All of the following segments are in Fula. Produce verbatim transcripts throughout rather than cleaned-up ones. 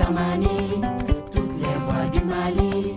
Tamani, toutes les voix du Mali.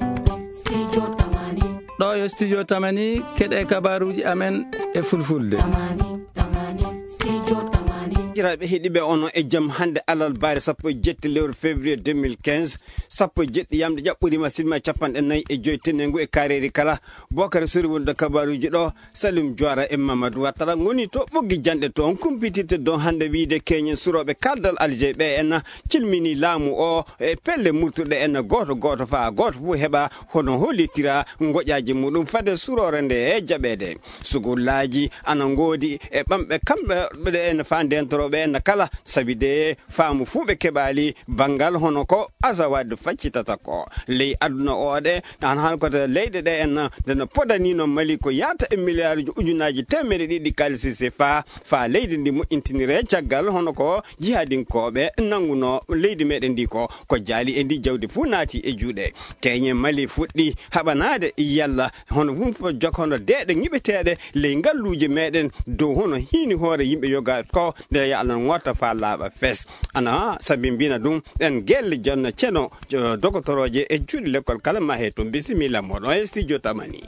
Studio Tamani. Ɗo yo Studio Tamani, keɗe kabaruuji amen e fulfulde. Tamani, Tamani, Studio Tamani. Jiraaɓe heɗiiɓe, onon e jam. Hannde alarba sappo e jetti lewru février deux mille quinze, sappo e jetti yamde ƴaɓɓoriima, sinima capanɗe nayi e joy tenengu e kareeri kala. Bokare sori wonde kabaruuji ɗo, Salim Juwara e Mamadou Wattara ngoni to ɓoggi janɗe toon kumpitirte ɗon hannde wiyde keñen surooɓe kaldal Alger ɓe en cilmini laamu o e pelle murtuɗe en gooto gooto faa gooto fof heɓa hono hollitira ngoƴaaji muɗum fade suroore nde e jaɓeede. Sugullaaji ana ngoodi e ɓamɓe kamɓe ɓe en faa ndentorooɓe en kala, sabi de faamu fuu ɓe keɓaali banngal hono ko Azawad faccitata ko. Ley aduna o de, an han ko to leyɗe ɗe en, nde no podanino Mali ko yaata e miliyaaruji ujunaaji teemeɗe ɗiɗi kalisi sefa, faa leydi ndi moƴƴintinire caggal hono ko jihadinkooɓe nannguno leydi meɗen ndi ko, ko jaali e ndi jawdi fuu naati e juuɗe. Keñe Mali fuɗɗi haɓanaade yalla hono wun fof jokka hono deeɗe ŋiɓeteeɗe ley ngalluuje meɗen dow hono hiini hoore yimɓe yoga ko nde ya anan ŋotta faa laaɓa fes. Ana sabi mbina ɗum en gelle jonno ceno, jo-, dogotorooje e juuɗe lekkol kala ma he toon. Bisimilla moɗon e studio Tamani.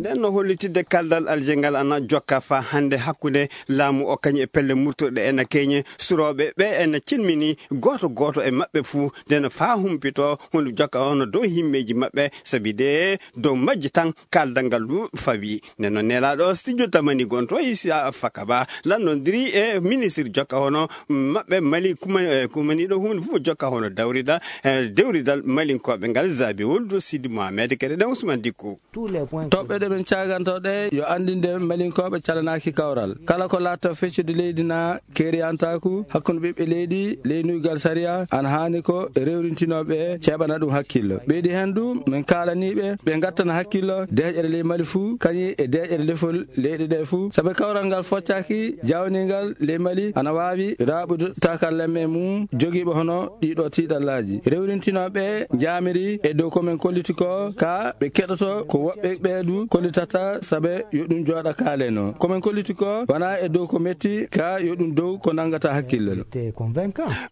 Nden no hollitidde kaldal Alger ngal ana jokka faa hannde hakkunde laamu o kañum e pelle murtuɗe en keñe surooɓe ɓe en cilmini gooto gooto e maɓɓe fuu nden faa humpito hunde jokka hono dow himmeeji maɓɓe, sabi de dow majji tan kaldal ngal du fawi. Nden noon nelaaɗo studio Tamani gonto e Issa Fakaba lannondiri e ministre jokka hono maɓɓe Mali kuma-, eh, kumaniiɗo huunde fof jokka hono dawrida, eh, dewridal Malinkooɓe ngal Zabi Wuldu Sidi Mohamed kadi ɗen Ousmane Dikko. Toɓɓe ɗe min caaganto ɗe yo anndinde Malinkooɓe calanaaki kawral. Kala ko laatto feccude leydi na keeriyantaaku hakkunde ɓiɓɓe leydi, leynuygal sariya, ana haani ko rewrintinooɓe ceeɓana ɗum hakkillo. Ɓeydi heen du, min kaalaniiɓe, ɓe ngattana hakkillo deeƴere ley Mali fuu, kañum e deeƴere lefol leyɗe ɗe fuu. Sabe kawral ngal foccaaki, jawniingal ley Mali ana waawi raaɓude takarlemme mum jogiiɓe hono ɗiɗo tiiɗallaaji. Rewrintinooɓe njaamiri e dow ko min kolliti ko, ka ɓe keɗoto ko woɓɓe ɓe du kollitata, sabe yo ɗum jooɗa kaaleno. Ko min kolliti ko wona e dow ko metti, ka yo ɗum dow ko nanngata hakkille.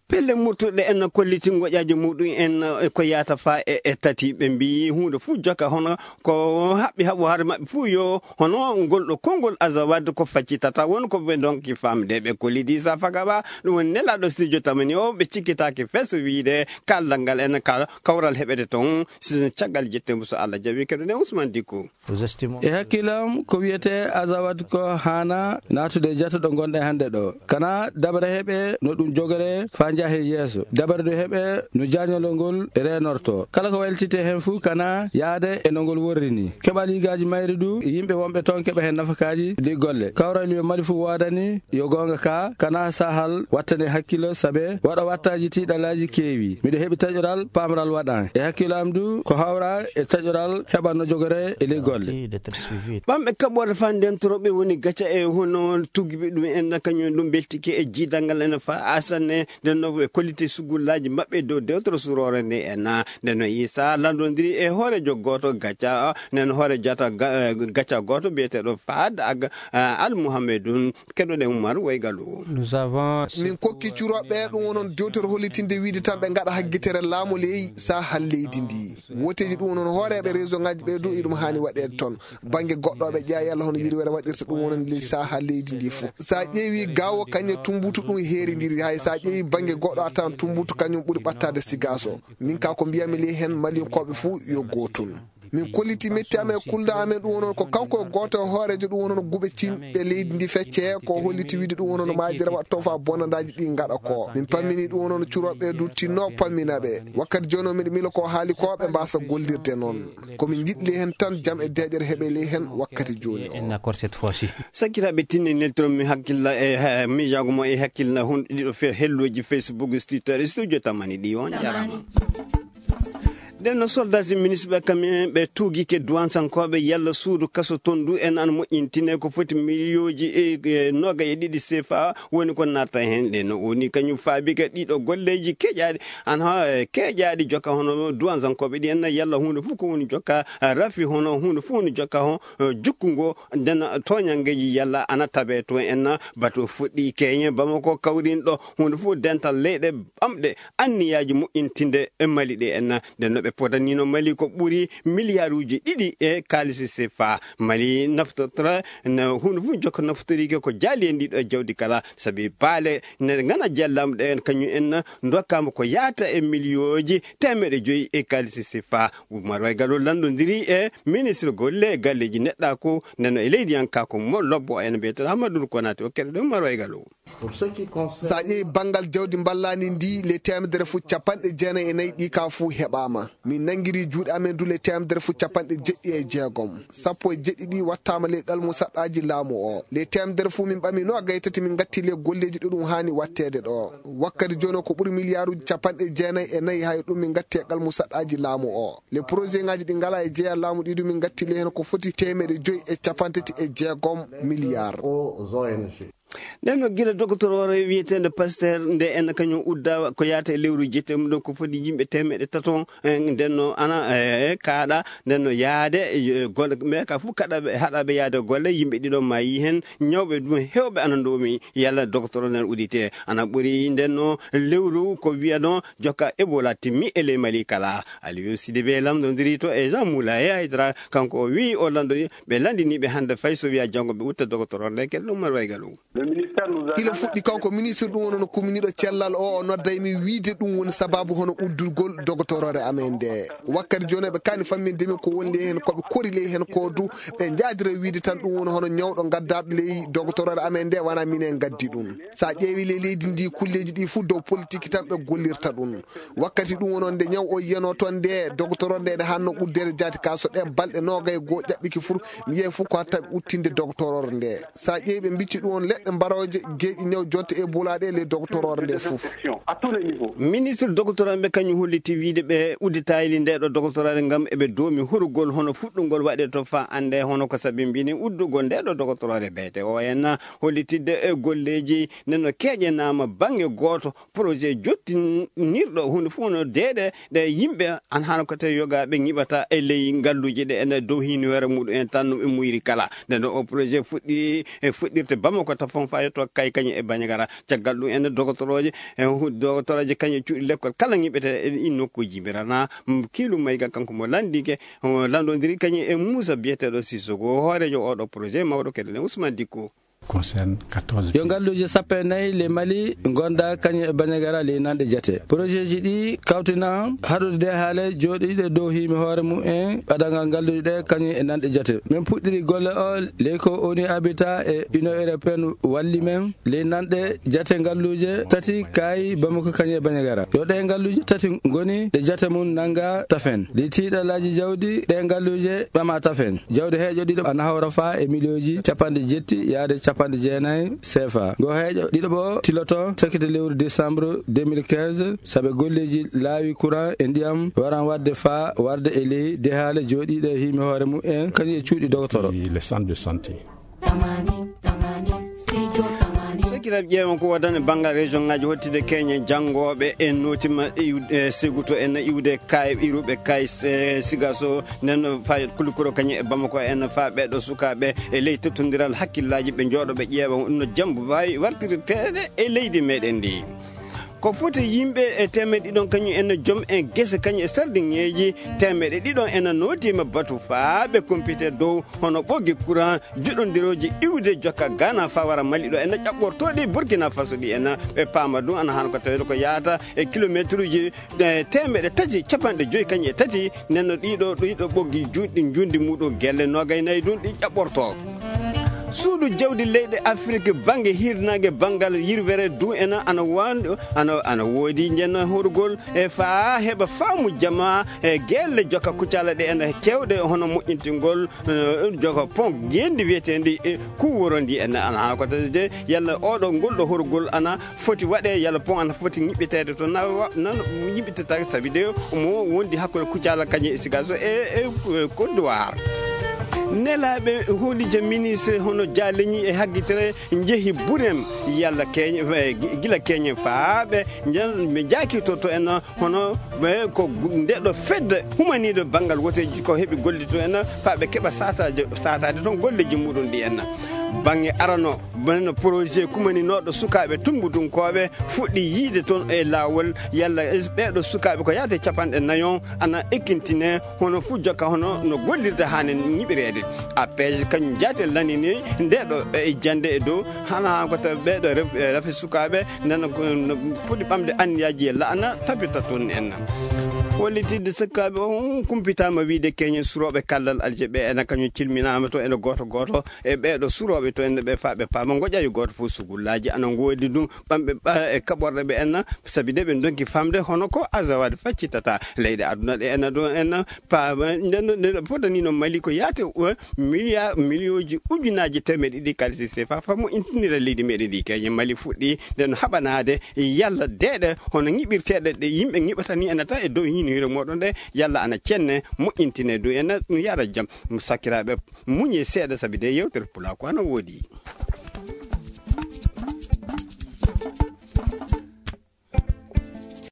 Pelle murtuɗe en kolliti ngoƴaaji muɗum en, eh, ko yaata faa e, e tati. Ɓe mbiyi huunde fuu jokka hono ko haɓɓi haɓo haare maɓɓe fuu yo hono ngol ɗo konngol Azawad ko faccitata won ko ɓe ndonki famde. Ɓe kollidi sa fagaba ɗum woni nelaaɗo studio Tamani o, ɓe cikkitaaki fes wiyde kaldal ngal en kal-, kawral heɓete toon si caggal jettembu so Allah jaɓi. Keɗoɗen Ousmane Dikko. E hakkillam, ko wiyetee Azawad ko haana naatude e jata ɗo ngonɗen hannde ɗo. Kana dabare heɓe no ɗum jogoree faa njaha e yeeso. Dabare ɗo heɓe no jaañolol ngol reenortoo. Kala ko waylititee heen fuu kana yahde e no ngol worri nii. Keɓal yigaaji mayri du, yimɓe wonɓe toon keɓa heen nafakaaji ɗi golle. Kawral yo Mali fuu woodani, yo goonga ka, kana sahal wattane hakkillo, sabe waɗa wattaaji tiiɗalaaji keewi. Miɗo heɓi taƴoral, paamral waɗan. E hakkillo am du, ko hawra e taƴoral heɓa no jogoree e ley golle. Ɓamɓe kaɓɓorde faa ndentorooɓe woni gaca e hono tuggiɓe ɗum en, kañum ɗum beltike e jiidal ngal ene faa asanne, nden no ɓe kolliti sugullaaji maɓɓe dow dewtere suroore nde en. Nden no Issa landondiri e hooreejo gooto gaca, nden hoore jata ga-, eh, gaca gooto biyeteeɗo Fahad Ag-, eh, Al Muhammedun. Keɗoɗen Umar Waygalu. Nous avons Min kokki curooɓe ɗum wonon dewtere hollitinde wiide tan ɓe ngaɗa haggitere laamu ley sahal leydi ndi. Woteeji ɗum wonon hooreeɓe réseau ngaji ɓe du iɗum haani waɗeede toon. Bannge goɗɗo ɓe ƴeewa yalla hono yirwere waɗirta ɗum wonon ley sahal leydi ndi fof. Sa ƴeewi gawo kañe tumbutu ɗum heerindiri. Hay sa ƴeewi bannge goɗɗo a tawan tumbutu kañum ɓuri ɓattaade sigaso. Min ka ko mbiyami ley heen Malinkooɓe fuu yo gootun. Min kolliti metti amen e kulda amen ɗum wonon ko kanko e gooto e hooreejo ɗum wonon guɓe cinɓe leydi ndi fecce ko holliti wiide ɗum wonon maajira waɗto fa bonandaaji ɗi ngaɗa ko. Min pammini ɗum wonon curooɓe du tinno pammina ɓe. Wakkati jooni o miɗo mila ko haali ko ɓe mbasa gollirde noon. Ko min njiɗli heen tan jam e deeƴere heɓe ley heen wakkati jooni o. Sakiraaɓe tinni neltoro mi hakkilla e, eh, miijaago mo e hakkilla hunde ɗiɗo fe-, helloji Facebook, Twitter, e studio Tamani ɗi on jarama. Nden no soldaaji municipal kam en ɓe tuugike duwansankooɓe yalla suudu kaso ton du en an moƴƴintine ko foti miliyooji e, e noga e ɗiɗi sefa woni ko natta heen. Ɗe no woni kañum faabike ɗiɗo golleeji keƴaaɗi an ha, e, keƴaaɗi jokka hono duwansankooɓe ɗi en yalla huunde fof ko woni jokka, e, rafi hono huunde fof woni jokka ho, e, jukkungo nden tooñanngeeji yalla ana tabe to en batu fuɗɗi keñe Bamako kawrinɗo huunde fof dental leyɗe ɓamɗe anniyaaji moƴƴintinde e Mali ɗe en. Nden no ɓe podanino Mali ko ɓuri miliyaaruuji ɗiɗi e kaalisi sefa. Mali naftorta no huunde fof jokka naftorike ko jaali e ndiɗo jawdi kala, sabi baale ne ngana jallamɗe en kañum en dokkama ko yaata e miliyooji teemeɗe joyi e kaalisi sefa. Umar Wai Gallo lanndondiri e ministre golle e galleeji neɗɗaaku, nden no e leydi an ka ko mo lobbo en mbiyeten Amadou Konaté o keɗoɗen Umar Wai Gallo. Sa ƴeewi banngal jawdi mballandi ndi, le teemedere fof capanɗe jeenayi e nayi ɗi ka fof heɓaama. Min nanngiri juuɗe amen du le teemedere fof capanɗe jeɗɗi e jeegom. Sappo e jeɗɗi ɗi wattaama le ɗalmu saɗɗaaji laamu o. Le teemedere fof min ɓami no gaytati min ngatti le golleeji ɗo ɗum haani watteede ɗo. Wakkati jooni o ko ɓuri miliyaaruuji capanɗe jeenayi e nayi hay ɗum min ngatti e ɗalmu saɗɗaaji laamu o. Le projet ngaji ɗi ngala e jeeya laamu ɗi du min ngatti le heen ko foti teemeɗe joyi e capantati e jeegom miliyaar. Nden no gila doctorore wiyeteende Pasteur nde en kañum udda ko yaata e lewru jette mum ɗo ko foti yimɓe teemeɗe tato, eh, nden no ana, eh, kaaɗa, nden no yaade, eh, golle, mais ka fof kaɗaɓe, haɗaɓe yaade golle, yimɓe ɗiɗo maayi heen, ñawɓe ɗum heewɓe ana ndoomi, yalla doctorore nden udite, ana ɓuri nden no lewru ko wiyano jokka Ebola timmi e ley Mali kala. Aliou Sidibé lamndondiri to e Jean Moulay Aydara, kanko o wiyi o lanndo ɓe lanndiniiɓe hannde fay so wiya janngo ɓe utta doctorore nde keɗe ɗum Marwa e Gallo. Ila fuɗɗi kanko ministre ɗum woni no kuminiɗo cellal o, o nodday mi wiide ɗum woni sababu hono uddugol doctorore amen nde. Wakkati jooni ɓe kani famminde min ko woni ley heen ko ɓe kori ley heen ko du ɓe njaadira wiide tan ɗum woni hono ñawɗo gaddaɗo ley doctorore amen nde wona minen gaddi ɗum. Sa ƴeewi ley leydi ndi kulleji ɗi fof dow politique tan ɓe gollirta ɗum. Wakkati ɗum woni nde ñaw o yiyano toon nde doctorore nde ene hanno uddeede jaati ka so ɗen balɗe noogay goo ƴaɓɓiki fof mi yehi fof ko hatta uttinde doctorore nde. Sa ƴeewi ɓe mbicci ɗum on leɗɗe mbarooje geeƴi ñaw jonte e bulaɗe ley doctorore nde fof. Ministre doctorore ɓe kañum holliti wiide ɓe udditayli nde ɗo doctorore ngam eɓe doomi hurugol hono fuɗɗungol waɗe to fa annde hono ko sabi mbini uddugol nde ɗo doctorore beete o en hollitidde e golleji nden no keƴenama bange gooto projet jottinirɗo hunde fof no deeɗe ɗe yimɓe an hano ko tawi yoga ɓe ñiɓata e ley ngalluji ɗe ene dow hinoore muɗum en tan no ɓe muyri kala. Nde ɗo o projet fuɗɗi e fuɗɗirte Bamako tafon fa yetto kay kañum e Bandiagara caggal ɗum ene dogotoroje e hu- dogotoroje kañum cuuɗi lekkol kala ñiɓete e ɗin nokkuji mbirana kiilu mayga kanko mo landike o landodiri kañum e Moussa biyeteɗo Sissoko hoorejo oɗo projet mawɗo keɗen Ousmane Dikko. Concerne quatorze yo ngalluuje sappo e nayi le Mali gonda kañum e Bandiagara ley nanɗe jate projet ji ɗi kawtina haɗude de haale jooɗiiɗe dow hiimi hoore mum en ɓadangal ngalluuje ɗe kañum e nanɗe jate min puɗɗiri golle o ley ko oni abita e Union Européenne walli men ley nanɗe jate ngalluuje tati kaayi Bamako kañum e Bandiagara yo ɗe ngalluuje tati ngoni ɗe jate mum nanga tafen ɗi tiiɗalaaji jawdi ɗe ngalluuje ɓama tafen jawdi heeƴo ɗiɗo ana hawra fa e miliyooji capanɗe jetti yaade capanɗe jeenayi sefa ngo heeƴo ɗiɗo ɓo tiloto sekete lewru décembre deux mille quinze saabe golleeji laawi courant e ndiyam waran waɗde fa warde e ley dehaale jooɗiiɗe hiimi hoore mum en kañum e cuuɗi dogotoro. Le centre de santé. Sakiraɓe ƴeewan ko wodani banngal région ngaji hottide keñe janngooɓe en nootima iwde seguto en iwde kay iruɓe kay sigaso nden fayet kulikuro kañum e Bamako en fa ɓeɗo sukaɓe e ley tottondiral hakkillaji ɓe jooɗo ɓe ƴeewa no jambo wawi wartirteɗe e leydi meɗen ndi. Ko foti yimɓe e temeɗe ɗiɗon kañum en joom en gese kañum e sardiŋeeji temeɗe ɗiɗon ena nootiima batu faaɓe kompite dow hono ɓoggi courant juɗondirooji iwde jokka Ghana faa wara Mali ɗo ena ƴaɓɓortooɗi Burkina Faso ɗi ena ɓe paama ɗum ana hano ko tawede ko yahata e kilomeetruuji temeɗe tati capanɗe joyi kañum e tati nenno ɗiɗo ɗiɗo ɓoggi juɗɗi njundi muɗum gelle noogay nayi ɗum ɗi ƴaɓɓortoo. Suudu jawdi leyɗe Afirki bannge hirnaange banngal yirwere du ena ana wandi ana ana woodi njenno horgol e faa heɓa faamu jama e gelle joka kucala ɗe ena kewɗe hono moƴƴintingol eh, joka pon gendi wiyeteendi eh, kuworondi en ana ko tasde yalla oɗo ngol ɗo horgol ana foti waɗe yalla pon ana foti ñiɓɓiteede to na wa- nan ñiɓɓitata sabi de mo wondi hakkunde kucala kañe e sigaso e e e kodduwar. Nelaaɓe hoolije ministre hono jaaleñi e haggitere njehi burem yalla keeñe eh, gi- gila keeñe faaɓe njan ɓe jaakitoto en hono ɓe ko ndeɗo fedde humaniiɗo banngal woteeji ko heɓi gollito en faaɓe keɓa sataade toon golleeji muɗum ɗi en. Bannge arano bano projet kumaninooɗo sukaaɓe tummbudunkooɓe fuɗɗi yiide toon e laawol yalla ɓeeɗo sukaaɓe ko yaade capanɗe nayon ana ekkintine hono fuu jokka hono no gollirde haani ñiɓireede. Appeje kañum jaate lanini ndeɗo e jannde e dow hana ko tawi ɓeeɗo ref- rafi sukaaɓe nana poti ɓamde anniyaaji e laana tabita toon en. Hollitidde sukaaɓe on kumpitaama wiide keñen surooɓe kallal alje ɓe ena kañum cilminaama to ene gooto gooto e ɓeeɗo surooɓe to ene ɓe faa ɓe paama ngoƴa yo gooto fof sugullaaji ana ngoodi ɗum ɓamɓe e kaɓorɗe ɓe enna sabi de ɓe donki famde hono ko azawaade faccitata leyɗe aduna ɗe enna ɗo enna paama nden nden fotanino mali ko yaate milliard millioji ujunaji temeɗe ɗiɗi kalisi sefa famo intinira leydi meɗen ndi keñe mali fuɗɗi nden haɓanade yalla deeɗe hono ñiɓirteɗe ɗe yimɓe ñiɓata ni ena tan e dow hinire moɗon ɗe yalla ana cenne moƴƴintine dow ena yara jam sakiraɓe muñe seeɗa sabi de yewtere pula ko ana woodi.